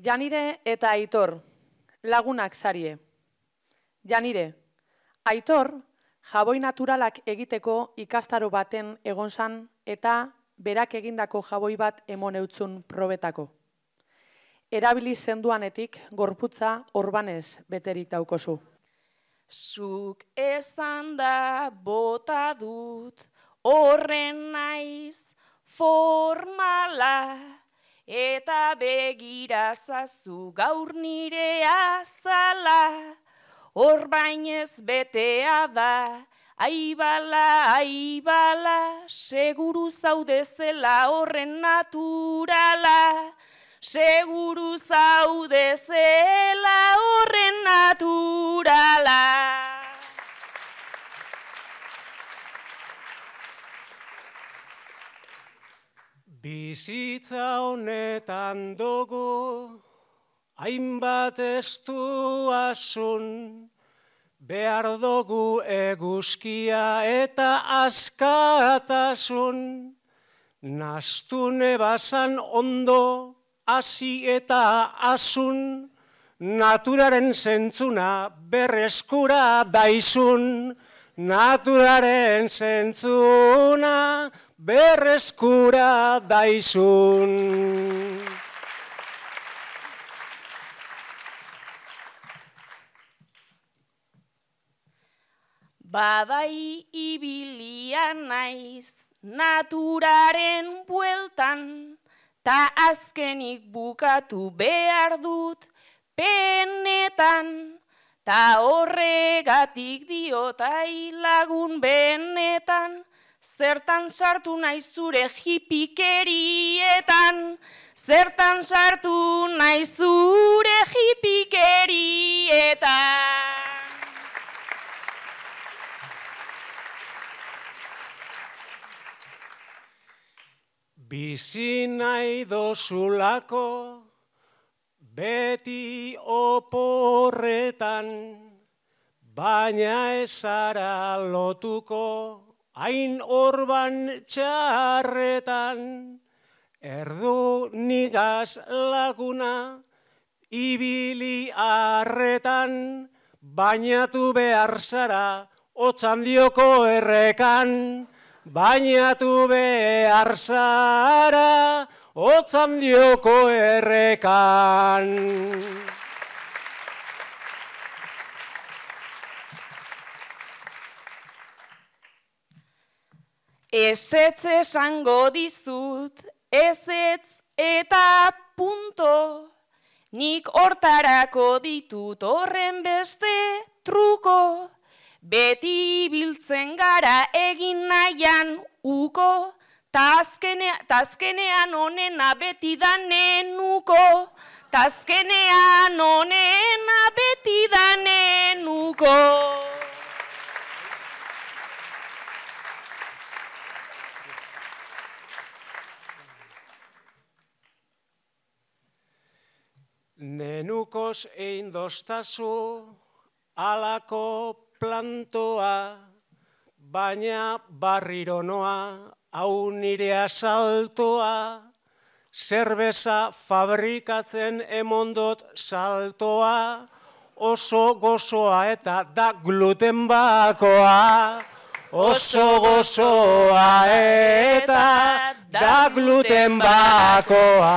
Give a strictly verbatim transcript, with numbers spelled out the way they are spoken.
Janire eta Aitor, lagunak sarie. Janire, Aitor, jaboi naturalak egiteko ikastaro baten egon zan eta berak egindako jaboi bat emon eutzun probetako. Erabili zenduanetik gorputza orbanez beterik daukozu. Zuk esan da bota dut, horren naiz formala, eta begirazazu gaur nire azala, hor bainez betea da, aibala, aibala, seguru zaudezela horren naturala, seguru zaudezela horren naturala. Bizitza honetan dugu, hainbat estu asun, behar dugu eguzkia eta askatasun, nastune bazan ondo, hasi eta asun, naturaren zentzuna berreskura daizun, naturaren zentzuna berreskura daizun. Babai ibilia naiz naturaren bueltan, ta azkenik bukatu behar dut penetan, ta horregatik diotai lagun benetan, zertan sartu nahi zure hipikerietan, zertan sartu nahi zure hipikerietan. Bizi nahi dozulako, beti oporretan, baina ezara lotuko, hain orban txarretan, erdu nigaz laguna, ibili arretan, bainatu behar zara, otxandioko errekan, bainatu behar zara, otxandioko errekan. Ezetz esango dizut, ezetz eta punto, nik hortarako ditut horren beste truko, beti biltzen gara egin nahian uko, tazkenean onena beti da nenuko, tazkenean onena beti da nenuko. Nenukos egin doztazu alako plantoa, baina barriro noa, hau nire asaltoa, zerbeza fabrikatzen emondot saltoa, oso gozoa eta da gluten bakoa, oso gozoa eta da gluten bakoa.